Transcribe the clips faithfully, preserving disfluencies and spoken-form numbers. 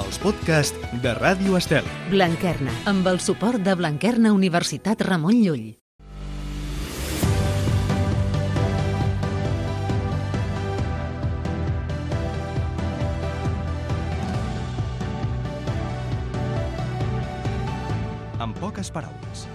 els podcasts de Ràdio Estel. Blanquerna, amb el suport de Blanquerna Universitat Ramon Llull. En poques paraules.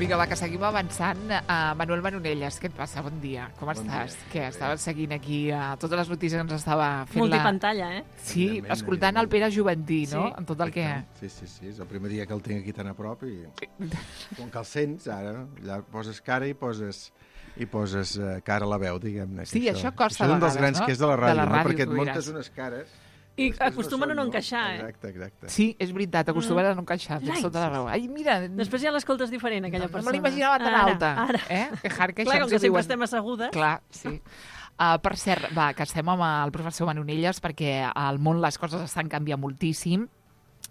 Vinga, va, que seguim avançant. Uh, Manuel Manonelles, què et passa? Bon dia. Com bon estàs? Dia. Què, estaves seguint aquí uh, totes les notícies que ens estava fent Multipantalla, la... eh? Sí, escoltant el Pere Juventí, no? Sí. En tot el que... Sí, sí, sí. És el primer dia que el tinc aquí tan a prop i... Com que el sents, ara, allà poses cara i poses... i poses uh, cara a la veu, diguem-ne. Sí, això, això costa això és un vegades, dels grans no? que és de la ràdio, de la ràdio no? Perquè et diràs. muntes unes cares... I acostumen no a no encaixar, eh? Exacte, exacte. Sí, és veritat, acostumen mm. a no encaixar. Tens tota la raó. Ai, mira... Després ja l'escoltes diferent, aquella no, persona. No me l'imaginava tan ara, alta. Ara. Eh? Que hard que Clar, com que sempre diuen... estem assegudes. Clar, sí. Uh, per cert, va, que estem amb el professor Manonelles perquè al món les coses estan canviant moltíssim.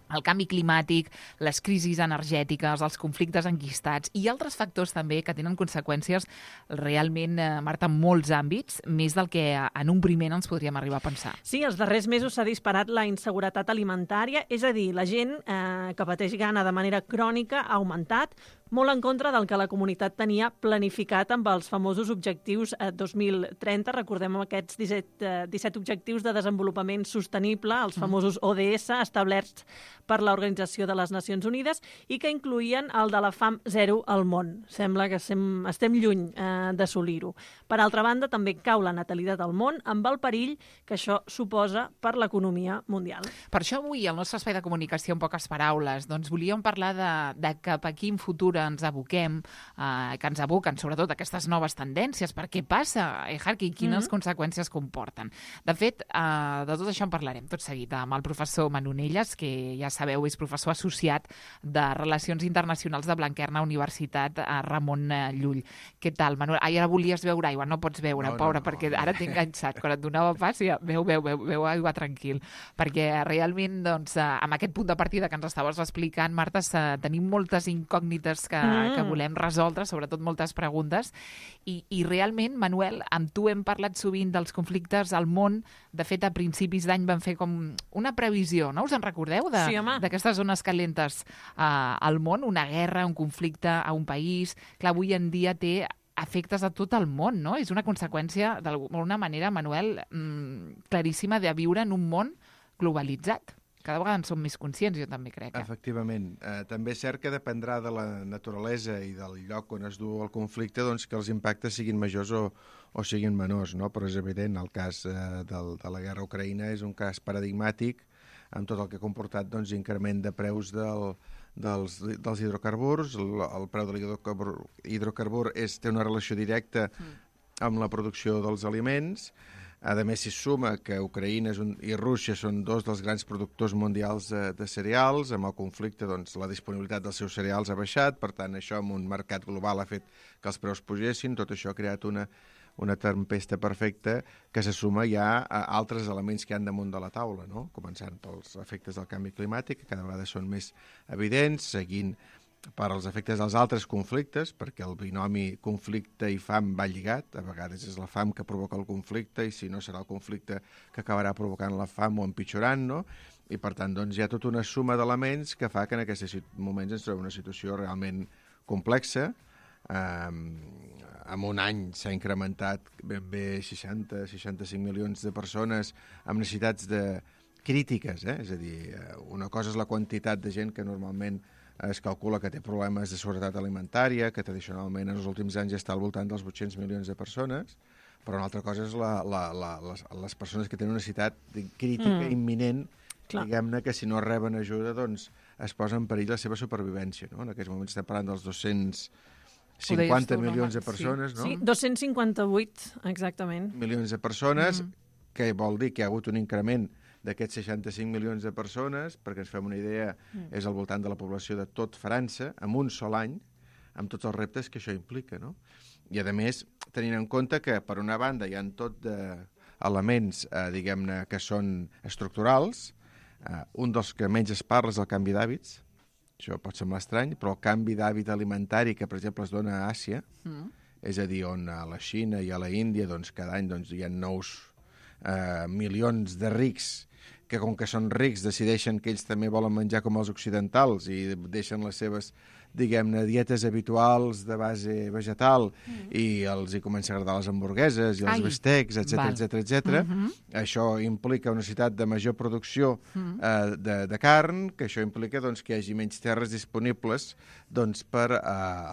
El canvi climàtic, les crisis energètiques, els conflictes enquistats i altres factors també que tenen conseqüències realment, eh, Marta, en molts àmbits, més del que en un primer ens podríem arribar a pensar. Sí, els darrers mesos s'ha disparat la inseguretat alimentària, és a dir, la gent eh, que pateix gana de manera crònica ha augmentat, molt en contra del que la comunitat tenia planificat amb els famosos objectius eh, dos mil trenta. Recordem aquests disset, eh, disset objectius de desenvolupament sostenible, els famosos O D S, establerts per l'Organització de les Nacions Unides i que incloïen el de la fam zero al món. Sembla que estem, estem lluny eh, d'assolir-ho. Per altra banda, també cau la natalitat al món amb el perill que això suposa per l'economia mundial. Per això avui, al nostre espai de comunicació en poques paraules, doncs volíem parlar de, de cap a quin futur ens aboquem, eh, que ens aboquen sobretot aquestes noves tendències, per què passa, eh, Harky, quines mm-hmm. conseqüències comporten. De fet, eh, de tot això en parlarem tot seguit amb el professor Manonelles, que ja sabeu, és professor associat de Relacions Internacionals de Blanquerna Universitat a Ramon Llull. Què tal, Manuel? Ai, ara volies beure aigua, no pots beure, no, pobra, no, no, perquè no. Ara t'he enganxat. Quan et donava pas, ja, beu, beu, beu, beu aigua tranquil. Perquè realment, doncs, amb aquest punt de partida que ens estaves explicant, Marta, tenim moltes incògnites que, mm. que volem resoldre, sobretot moltes preguntes, i, i realment, Manuel, amb tu hem parlat sovint dels conflictes al món. De fet, a principis d'any vam fer com una previsió, no? Us en recordeu? De, sí, home. D'aquestes zones calentes uh, al món, una guerra, un conflicte a un país. Clar, avui en dia té efectes a tot el món, no? És una conseqüència, d'alguna manera, Manuel, mmm, claríssima de viure en un món globalitzat. Cada vegada en som més conscients, jo també crec. Eh? Efectivament. Eh, també és cert que dependrà de la naturalesa i del lloc on es du el conflicte, doncs que els impactes siguin majors o, o siguin menors, no? Però és evident, el cas eh, del, de la guerra a Ucraïna és un cas paradigmàtic amb tot el que ha comportat, doncs, increment de preus del, dels, dels hidrocarburs. El, el preu de l'hidrocarbur hidrocarbur és, té una relació directa amb la producció dels aliments. A més, s'hi suma que Ucraïna és un, i Rússia són dos dels grans productors mundials de, de cereals. Amb el conflicte, doncs, la disponibilitat dels seus cereals ha baixat, per tant, això amb un mercat global ha fet que els preus pugessin. Tot això ha creat una, una tempesta perfecta que se suma ja a altres elements que hi ha damunt de la taula, no? Començant pels efectes del canvi climàtic, que cada vegada són més evidents, seguint per als efectes dels altres conflictes, perquè el binomi conflicte i fam va lligat. A vegades és la fam que provoca el conflicte i si no serà el conflicte que acabarà provocant la fam o empitjorant, no? I per tant, doncs, hi ha tota una suma d'elements que fa que en aquests moments ens trobem una situació realment complexa. Um, en un any s'ha incrementat ben bé seixanta a seixanta-cinc milions de persones amb necessitats de crítiques, eh? És a dir, una cosa és la quantitat de gent que normalment es calcula que té problemes de seguretat alimentària, que tradicionalment en els últims anys està al voltant dels vuit-cents milions de persones, però una altra cosa és la, la, la, les, les persones que tenen una necessitat crítica mm. imminent, Clar. Diguem-ne que si no reben ajuda, doncs es posa en perill la seva supervivència, no? En aquests moments estem parlant dels dos-cents cinquanta milions de persones, sí. no? Sí, dos-cents cinquanta-vuit, exactament. Milions de persones, mm. que vol dir que hi ha hagut un increment d'aquests seixanta-cinc milions de persones, perquè ens fem una idea, mm. és al voltant de la població de tot França, en un sol any, amb tots els reptes que això implica, no? I, a més, tenint en compte que, per una banda, hi ha tot de elements, eh, diguem-ne, que són estructurals. Eh, un dels que menys es parla és el canvi d'hàbits. Això pot semblar estrany, però el canvi d'hàbit alimentari que, per exemple, es dona a Àsia, mm. és a dir, on a la Xina i a la Índia doncs, cada any doncs, hi ha nous eh, milions de rics que, com que són rics, decideixen que ells també volen menjar com els occidentals i deixen les seves, diguem-ne, dietes habituals de base vegetal mm. i els hi comença a agradar les hamburgueses i els Ai, bistecs, etcètera, etcètera, etcètera. Mm-hmm. Això implica una necessitat de major producció mm. eh, de, de carn, que això implica doncs, que hi hagi menys terres disponibles doncs, per eh,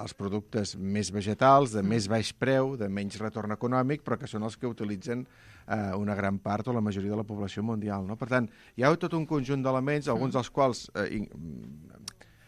als productes més vegetals, de mm. més baix preu, de menys retorn econòmic, però que són els que utilitzen eh, una gran part o la majoria de la població mundial. No? Per tant, hi ha tot un conjunt d'elements, alguns dels quals eh,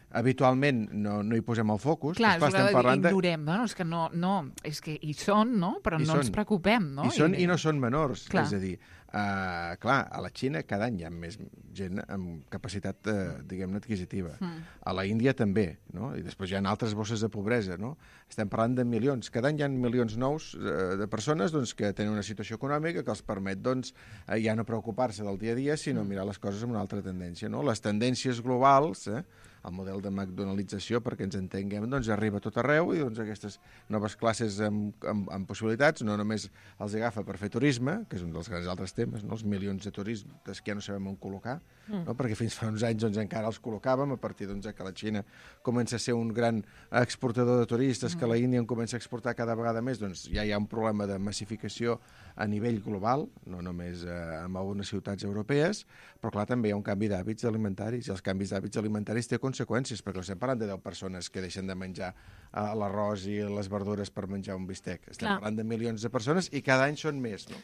habitualment no, no hi posem el focus. Clar, és que ignorem, no? És que no, no, és que hi són, no? Però hi no són. ens preocupem, no? Hi són i, i no són menors. Clar. És a dir, uh, clar, a la Xina cada any hi ha més gent amb capacitat, uh, diguem-ne, adquisitiva. Mm. A la Índia també, no? I després hi ha altres bosses de pobresa, no? Estem parlant de milions. Cada any hi ha milions nous uh, de persones doncs, que tenen una situació econòmica que els permet doncs, uh, ja no preocupar-se del dia a dia, sinó mm. mirar les coses amb una altra tendència, no? Les tendències globals, eh? El model de McDonaldització, perquè ens entenguem, doncs arriba a tot arreu i doncs, aquestes noves classes amb, amb, amb possibilitats no només els agafa per fer turisme, que és un dels grans altres temes, no? Els milions de turistes que ja no sabem on col·locar, mm. no? Perquè fins fa uns anys doncs, encara els col·locàvem, a partir doncs, que la Xina comença a ser un gran exportador de turistes, mm. que la Índia en comença a exportar cada vegada més, doncs ja hi ha un problema de massificació a nivell global, no només eh, en algunes ciutats europees, però clar, també hi ha un canvi d'hàbits alimentaris, i els canvis d'hàbits alimentaris té conseqüències, perquè no estem parlant de deu persones que deixen de menjar uh, l'arròs i les verdures per menjar un bistec. Estem Clar. parlant de milions de persones i cada any són més, no?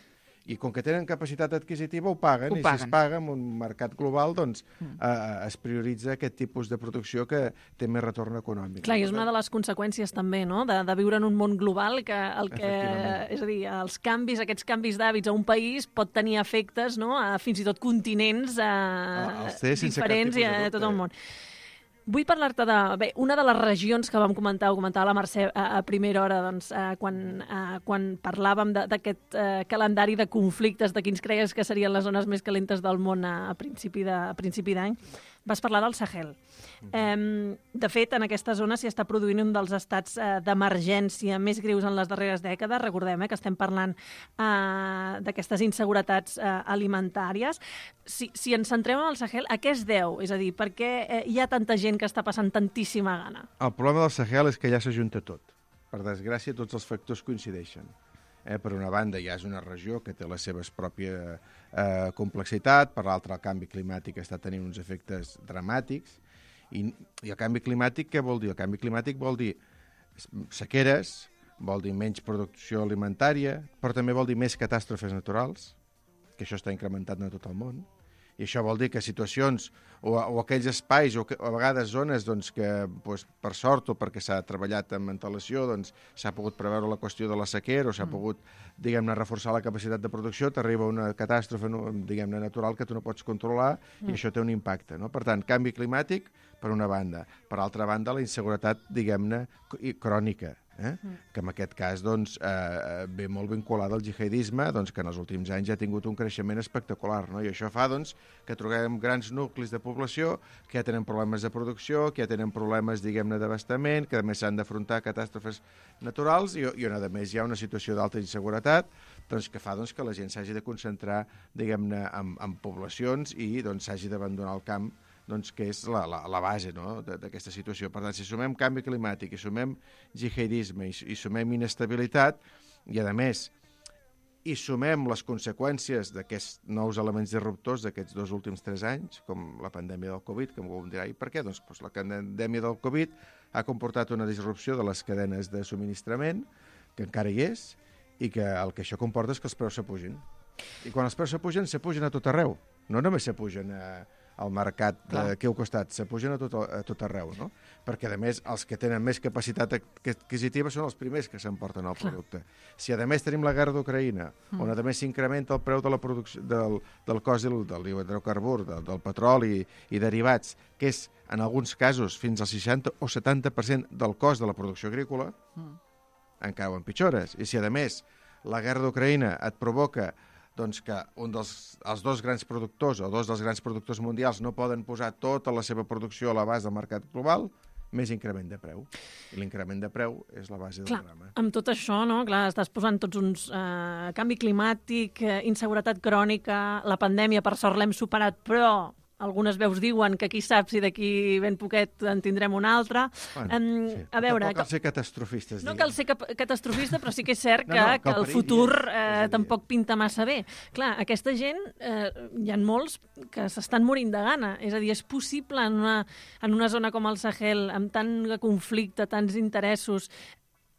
I com que tenen capacitat adquisitiva ho paguen, ho i paguen. Si es paga en un mercat global, doncs mm. uh, es prioritza aquest tipus de producció que té més retorn econòmic. Clar, i és una de les conseqüències també, no?, de, de viure en un món global que el que, és a dir, els canvis, aquests canvis d'hàbits a un país pot tenir efectes, no?, a fins i tot continents uh, diferents i a tot el món. Vull parlar-te de... Bé, una de les regions que vam comentar, ho comentava la Mercè a, a primera hora, doncs, eh, quan, eh, quan parlàvem d'aquest eh, calendari de conflictes, de quins creies que serien les zones més calentes del món a, a principi de, a principi d'any, vas parlar del Sahel. Eh, de fet, en aquesta zona s'hi està produint un dels estats eh, d'emergència més greus en les darreres dècades. Recordem eh, que estem parlant eh, d'aquestes inseguretats eh, alimentàries. Si, si ens centrem en el Sahel, a què es deu? És a dir, per què eh, hi ha tanta gent que està passant tantíssima gana? El problema del Sahel és que ja s'ajunta tot. Per desgràcia, tots els factors coincideixen. Eh, per una banda, ja és una regió que té la seva pròpia eh, complexitat, per l'altra, el canvi climàtic està tenint uns efectes dramàtics, i, i el canvi climàtic què vol dir? El canvi climàtic vol dir sequeres, vol dir menys producció alimentària, però també vol dir més catàstrofes naturals, que això està incrementant a tot el món, i això vol dir que situacions o, o aquells espais o, que, o a vegades zones doncs, que doncs, per sort o perquè s'ha treballat amb antelació doncs, s'ha pogut preveure la qüestió de la sequera o s'ha mm. pogut, diguem-ne, reforçar la capacitat de producció, t'arriba una catàstrofe, diguem-ne, natural que tu no pots controlar mm. i això té un impacte. No? Per tant, canvi climàtic per una banda. Per altra banda, la inseguretat, diguem-ne, crònica. Eh? Mm. Que en aquest cas doncs, eh, ve molt vinculada al jihadisme, doncs, que en els últims anys ja ha tingut un creixement espectacular, no? I això fa doncs, que trobem grans nuclis de població que ja tenen problemes de producció, que ja tenen problemes, diguem-ne, d'abastament, que a més s'han d'afrontar catàstrofes naturals i, i on a més hi ha una situació d'alta inseguretat doncs, que fa doncs, que la gent s'hagi de concentrar, diguem-ne, en, en poblacions i doncs, s'hagi d'abandonar el camp, doncs, que és la, la, la base, no?, d'aquesta situació. Per tant, si sumem canvi climàtic i sumem jihadisme i, i sumem inestabilitat i, a més, i sumem les conseqüències d'aquests nous elements disruptors d'aquests dos últims tres anys, com la pandèmia del Covid, que algú em dirà, i per què? Doncs, doncs la pandèmia del Covid ha comportat una disrupció de les cadenes de subministrament, que encara hi és, i que el que això comporta és que els preus s'apugin. I quan els preus s'apugen, s'apugen a tot arreu. No només s'apugen a... al mercat d'aquí al costat, s'apugen a tot, a tot arreu, no? Perquè, a més, els que tenen més capacitat adquisitiva són els primers que s'emporten el producte. Clar. Si, a més, tenim la guerra d'Ucraïna, mm. on, a més, s'incrementa el preu de la producció, del, del cost del, del hidrocarbur, del, del petroli i, i derivats, que és, en alguns casos, fins al seixanta o setanta per cent del cost de la producció agrícola, mm. encara ho empitjores. I si, a més, la guerra d'Ucraïna et provoca doncs que un dels, els dos grans productors o dos dels grans productors mundials no poden posar tota la seva producció a l'abast del mercat global, més increment de preu. I l'increment de preu és la base del Clar, drama. amb tot això, no? Clar, estàs posant tots uns... Eh, canvi climàtic, eh, inseguretat crònica, la pandèmia, per sort l'hem superat, però algunes veus diuen que qui sap si d'aquí ben poquet en tindrem una altra. Bueno, um, sí. A veure... No cal ser catastrofistes. No diguem. cal ser cap catastrofista, però sí que és cert que, No, no, que que el el perill futur és- és eh, a dir- tampoc pinta massa bé. Clar, aquesta gent, eh, hi ha molts que s'estan morint de gana. És a dir, és possible en una, en una zona com el Sahel, amb tant de conflicte, tants interessos,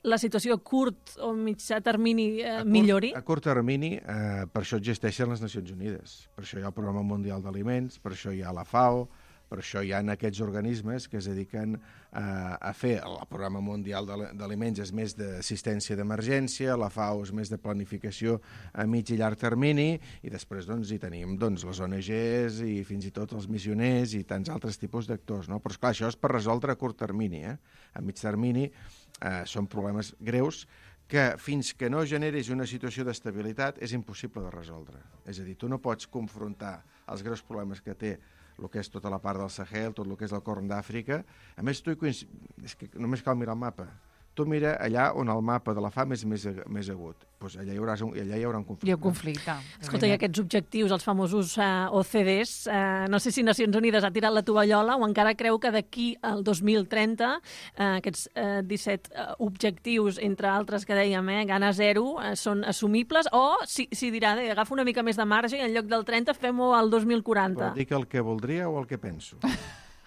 la situació a curt o mitjà termini eh, A curt- millori? A curt termini, eh, per això existeixen les Nacions Unides. Per això hi ha el Programa Mundial d'Aliments, per això hi ha la FAO, per això hi ha aquests organismes que es dediquen eh, a fer... El Programa Mundial d'Ali- d'Aliments és més d'assistència d'emergència, la FAO és més de planificació a mig i llarg termini, i després doncs, hi tenim doncs, les O N Ges i fins i tot els missioners i tants altres tipus d'actors. No? Però, esclar, això és per resoldre a curt termini. Eh? A mig termini eh, són problemes greus que fins que no generis una situació d'estabilitat és impossible de resoldre. És a dir, tu no pots confrontar els greus problemes que té el que és tota la part del Sahel, tot el que és el Corn d'Àfrica. A més, tu hi coinc... és que només cal mirar el mapa. Tu mira allà on el mapa de la fam és més, més agut. Pues allà, hi haurà un, allà hi haurà un conflicte. Hi ha un conflicte. Escolta, i aquests objectius, els famosos eh, O C Ds, eh, no sé si Nacions Unides ha tirat la tovallola o encara creu que d'aquí al dos mil trenta eh, aquests eh, disset eh, objectius, entre altres que dèiem, eh, gana zero, eh, són assumibles, o si, si dirà, eh, agafa una mica més de marge i en lloc del trenta fem-ho al dos mil quaranta. Vol dir que el que voldria o el que penso?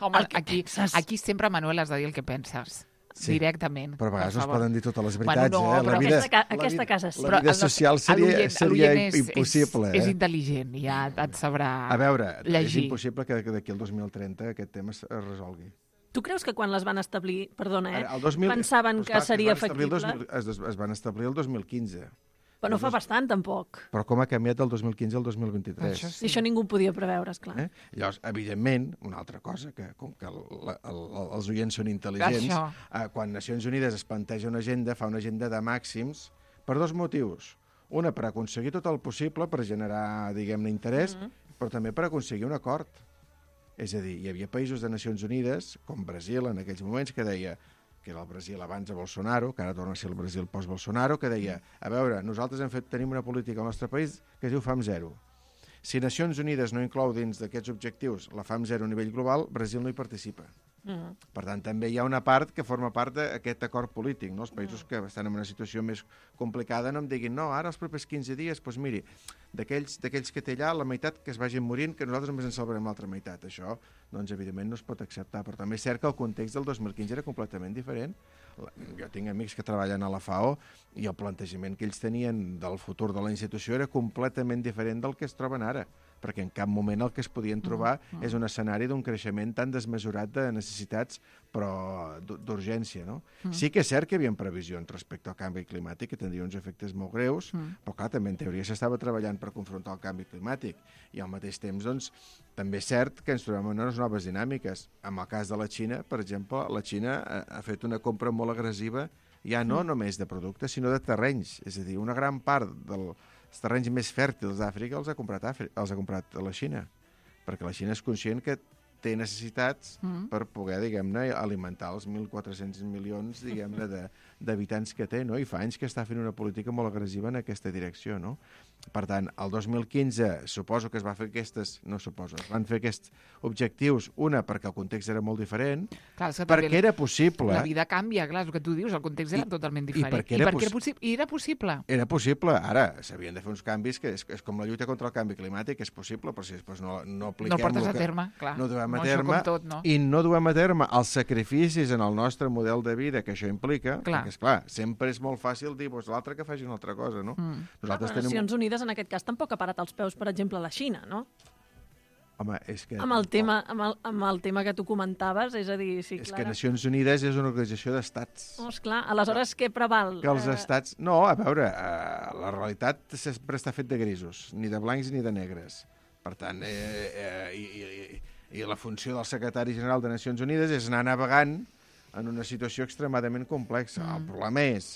Home, El que aquí, penses. aquí sempre, Manuel, has de dir el que penses. Sí, Directament. Però a vegades per no es favor. poden dir totes les veritats. Bueno, no, eh? però La vida, aquesta ca- la aquesta vida- casa sí. La Però vida el nostre- social seria, l'oient- seria l'oient és- impossible. És, és eh? intel·ligent, ja et sabrà A veure, llegir. és impossible que que d'aquí al dos mil trenta aquest tema es es resolgui. Tu creus que quan les van establir, perdona, eh, Ara, el dos mil pensaven doncs que clar, seria es van establir el dos factible? mil- Es, des- es van establir el dos mil quinze. Però no fa bastant, tampoc. Però com ha canviat del dos mil quinze al dos mil vint-i-tres? Això I això ningú ho podia preveure, esclar. Eh? Llavors, evidentment, una altra cosa, que com que el, la, el, els oients són intel·ligents, Això. eh, quan Nacions Unides es planteja una agenda, fa una agenda de màxims per dos motius. Una, per aconseguir tot el possible, per generar, diguem-ne, interès, mm -hmm. però també per aconseguir un acord. És a dir, hi havia països de Nacions Unides, com Brasil en aquells moments, que deia que era el Brasil abans de Bolsonaro, que ara torna a ser el Brasil post-Bolsonaro, que deia, a veure, nosaltres hem fet, tenim una política al nostre país que es diu fam zero. Si Nacions Unides no inclou dins d'aquests objectius la fam zero a nivell global, Brasil no hi participa. Mm. Per tant, també hi ha una part que forma part d'aquest acord polític. No? Els països que estan en una situació més complicada no em diguin, no, ara els propers quinze dies, doncs miri, d'aquells d'aquells que té allà, la meitat que es vagin morint, que nosaltres només en salvarem l'altra meitat. Això, doncs, evidentment, no es pot acceptar. Però també és cert que el context del dos mil quinze era completament diferent. Jo tinc amics que treballen a la FAO i el plantejament que ells tenien del futur de la institució era completament diferent del que es troben ara, perquè en cap moment el que es podien trobar mm, mm. és un escenari d'un creixement tan desmesurat de necessitats, però d'urgència, no? Mm. Sí que és cert que hi havia previsions respecte al canvi climàtic, que tindria uns efectes molt greus, mm. però clar, també en teoria s'estava treballant per confrontar el canvi climàtic, i al mateix temps, doncs, també és cert que ens trobem en unes noves dinàmiques. En el cas de la Xina, per exemple, la Xina ha, ha fet una compra molt agressiva, ja no mm. només de productes, sinó de terrenys, és a dir, una gran part del els terrenys més fèrtils d'Àfrica els ha comprat Àfrica, els ha comprat a la Xina, perquè la Xina és conscient que té necessitats mm. per poder, diguem-ne, alimentar els mil quatre-cents milions, diguem-ne, d'habitants que té, no? I fa anys que està fent una política molt agressiva en aquesta direcció, no? Per tant, el dos mil quinze suposo que es va fer aquestes, no suposo, es van fer aquests objectius, una perquè el context era molt diferent, clar, perquè era possible. La vida canvia, clar, és el que tu dius, el context era I, totalment diferent. I perquè era, I perquè possi era, possi I era possible. Era possible. Ara s'havien de fer uns canvis que és, és com la lluita contra el canvi climàtic, és possible, però si després no, no apliquem... No portes que, a terme, clar. No duem a no, terme, tot, no? i no duem a terme els sacrificis en el nostre model de vida que això implica, clar. perquè, esclar, sempre és molt fàcil dir, doncs l'altre que faci una altra cosa, no? Mm. Nosaltres ah, tenim... Nacions Unides, en aquest cas, tampoc ha parat els peus, per exemple, a la Xina, no? Home, és que... Amb el, tema, amb, el, amb el tema que tu comentaves, és a dir... Sí, és Clara. que Nacions Unides és una organització d'estats. Oh, esclar, aleshores què preval? Que els estats... No, a veure, eh, la realitat sempre està fet de grisos, ni de blancs ni de negres. Per tant, eh, eh, i, i, i la funció del secretari general de Nacions Unides és anar navegant en una situació extremadament complexa. Mm. El problema és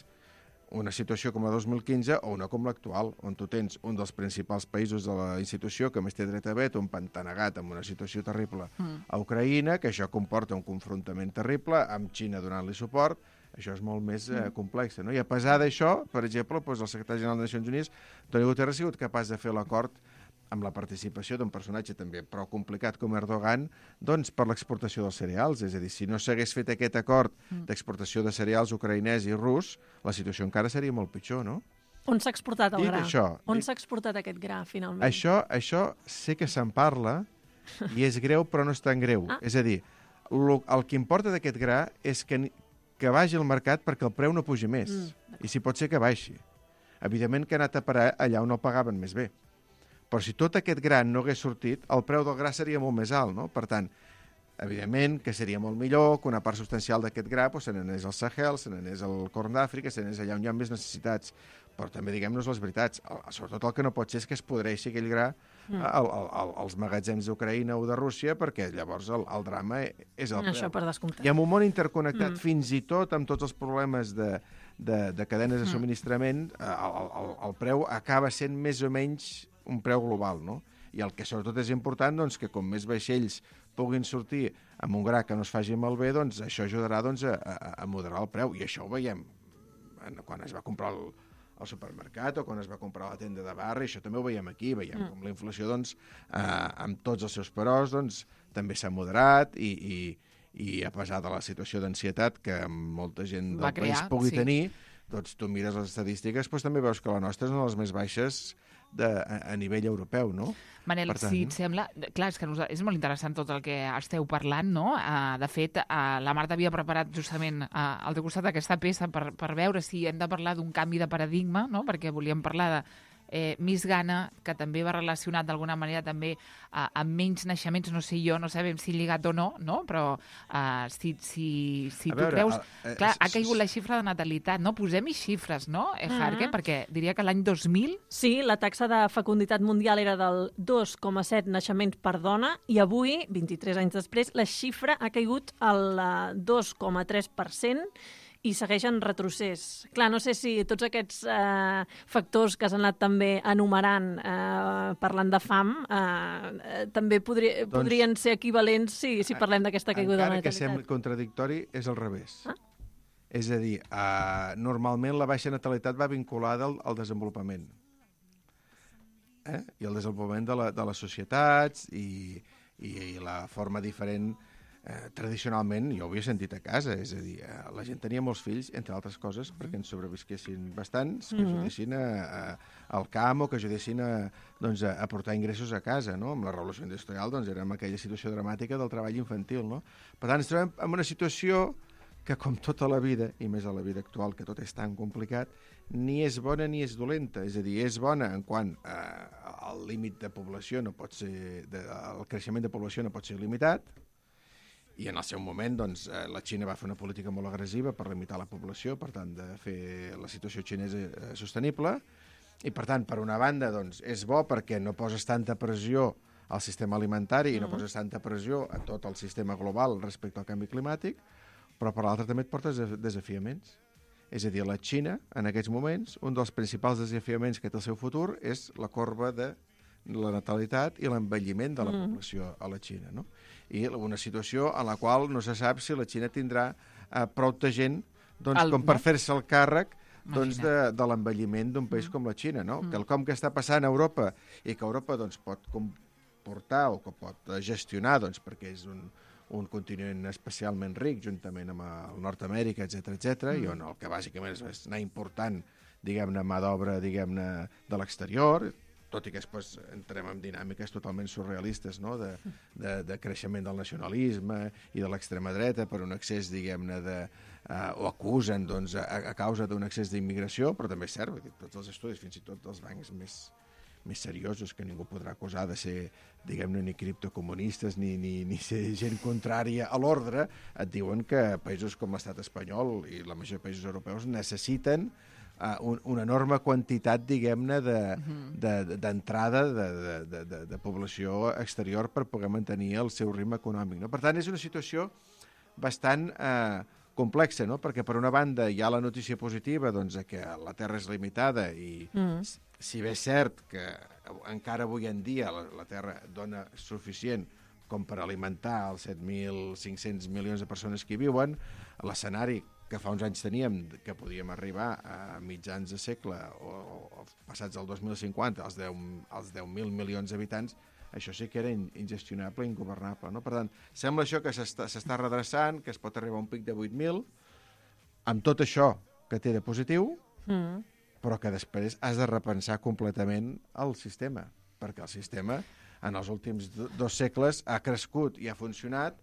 una situació com la dos mil quinze o una com l'actual, on tu tens un dels principals països de la institució que més té dret a veto, un pantanegat amb una situació terrible mm. a Ucraïna, que això comporta un confrontament terrible, amb Xina donant-li suport. Això és molt més eh, complex, no? I a pesar d'això, per exemple, doncs el secretari general de Nacions Unides, Antonio Guterres, ha sigut capaç de fer l'acord amb la participació d'un personatge també prou complicat com Erdogan, doncs per l'exportació dels cereals. És a dir, si no s'hagués fet aquest acord d'exportació de cereals ucraïnès i rus, la situació encara seria molt pitjor, no? On s'ha exportat el Dit gra? això, On dit- s'ha exportat aquest gra, finalment? Això, això sé que se'n parla i és greu, però no és tan greu. Ah. És a dir, lo, el que importa d'aquest gra és que, ni- que vagi al mercat perquè el preu no pugi més. Mm, I si pot ser que baixi. Evidentment que ha anat a parar allà on el pagaven més bé. Però si tot aquest gra no hagués sortit, el preu del gra seria molt més alt, no? Per tant, evidentment que seria molt millor que una part substancial d'aquest gra pues, se n'anés al Sahel, se n'anés al Corn d'Àfrica, se n'anés allà on hi ha més necessitats. Però també diguem-nos les veritats. El, sobretot el que no pot ser és que es podreixi aquell gra mm. al, al, al, als magatzems d'Ucraïna o de Rússia, perquè llavors el, el drama és el Això preu. per descomptat. I en un món interconnectat, Mm. fins i tot amb tots els problemes de, de, de cadenes de subministrament, eh, el, el, el preu acaba sent més o menys un preu global, no? I el que sobretot és important, doncs, que com més vaixells puguin sortir amb un gra que no es faci malbé, doncs això ajudarà doncs, a, a, a moderar el preu. I això ho veiem en, quan es va comprar el, al supermercat o quan es va comprar a la tenda de barri, això també ho veiem aquí, veiem mm. com la inflació, doncs, eh, amb tots els seus peròs, doncs, també s'ha moderat i, i, i a pesar de la situació d'ansietat que molta gent del Va crear, país pugui sí. tenir, doncs tu mires les estadístiques, doncs també veus que la nostra és una de les més baixes de, a, a nivell europeu, no? Manel, Per tant- si et sembla... Clar, és que nos- és molt interessant tot el que esteu parlant, no? Uh, de fet, uh, la Marta havia preparat justament uh, al teu costat aquesta peça per, per veure si hem de parlar d'un canvi de paradigma, no? Perquè volíem parlar de eh, Miss Ghana, que també va relacionat d'alguna manera també uh, amb menys naixements, no sé jo, no sabem si lligat o no, no? Però uh, si, si, si A tu veure, creus... el- eh, Clar, ha s- caigut la xifra de natalitat, no? Posem-hi xifres, no, eh, Jarque? Mhm. Perquè diria que l'any dos mil... Sí, la taxa de fecunditat mundial era del dos coma set naixements per dona i avui, vint-i-tres anys després, la xifra ha caigut al eh, dos coma tres per cent i segueix en retrocés. Clar, no sé si tots aquests eh, factors que s'han anat també enumerant eh, parlant de fam eh, eh, també podri, Doncs- podrien ser equivalents si, si parlem d'aquesta caiguda de Encara que natalitat. sembli contradictori, és al revés. Ah. És a dir, uh, normalment la baixa natalitat va vinculada al, al desenvolupament. Eh? I el desenvolupament de, la, de les societats i, i, i la forma diferent eh, tradicionalment, jo ho havia sentit a casa, és a dir, eh, la gent tenia molts fills, entre altres coses, perquè ens sobrevisquessin bastants, que Mhm. ajudessin a, a, al camp o que ajudessin a, doncs, a, a portar ingressos a casa, no? Amb la revolució industrial doncs, érem aquella situació dramàtica del treball infantil, no? Per tant, ens trobem en una situació que, com tota la vida, i més a la vida actual, que tot és tan complicat, ni és bona ni és dolenta. És a dir, és bona en quant eh, el límit de població no pot ser... De, el creixement de població no pot ser limitat, i en el seu moment doncs, eh, la Xina va fer una política molt agressiva per limitar la població, per tant, de fer la situació xinesa eh, sostenible, i per tant, per una banda, doncs, és bo perquè no poses tanta pressió al sistema alimentari i no poses tanta pressió a tot el sistema global respecte al canvi climàtic, però per l'altra també et portes des- desafiaments. És a dir, la Xina, en aquests moments, un dels principals desafiaments que té el seu futur és la corba de la natalitat i l'envelliment de la Mm. població a la Xina, no? I una situació en la qual no se sap si la Xina tindrà eh, prou de gent doncs, El- com per no? fer-se el càrrec doncs, de, Imagina't. de l'envelliment d'un país com la Xina, no? Que el com que està passant a Europa i que Europa doncs, pot comportar o que pot eh, gestionar, doncs, perquè és un, un continent especialment ric, juntament amb el Nord-Amèrica, etcètera, etcètera, i on el que bàsicament és, és anar important, diguem-ne, mà d'obra, diguem-ne, de l'exterior, tot i que després entrem en dinàmiques totalment surrealistes, no?, de, de, de creixement del nacionalisme i de l'extrema dreta per un excés, diguem-ne, de... Uh, o acusen, doncs, a, a causa d'un excés d'immigració, però també és cert, vull dir, tots els estudis, fins i tot els bancs més, més seriosos, que ningú podrà acusar de ser, diguem-ne, ni criptocomunistes ni, ni, ni ser gent contrària a l'ordre, et diuen que països com l'estat espanyol i la majoria de països europeus necessiten uh, un, una enorme quantitat, diguem-ne, d'entrada de, de, de, de, de, de població exterior per poder mantenir el seu ritme econòmic, no? Per tant, és una situació bastant eh, complexa, no? Perquè per una banda hi ha la notícia positiva doncs, que la Terra és limitada i mm. si bé és cert que encara avui en dia la, la Terra dona suficient com per alimentar els set mil cinc-cents milions de persones que hi viuen, l'escenari que fa uns anys teníem, que podíem arribar a mitjans de segle o, o passats el dos mil cinquanta, als deu mil milions d'habitants, això sí que era ingestionable i ingovernable. No? Per tant, sembla això que s'està redreçant, que es pot arribar a un pic de vuit mil, amb tot això que té de positiu, mm. però que després has de repensar completament el sistema, perquè el sistema en els últims dos segles ha crescut i ha funcionat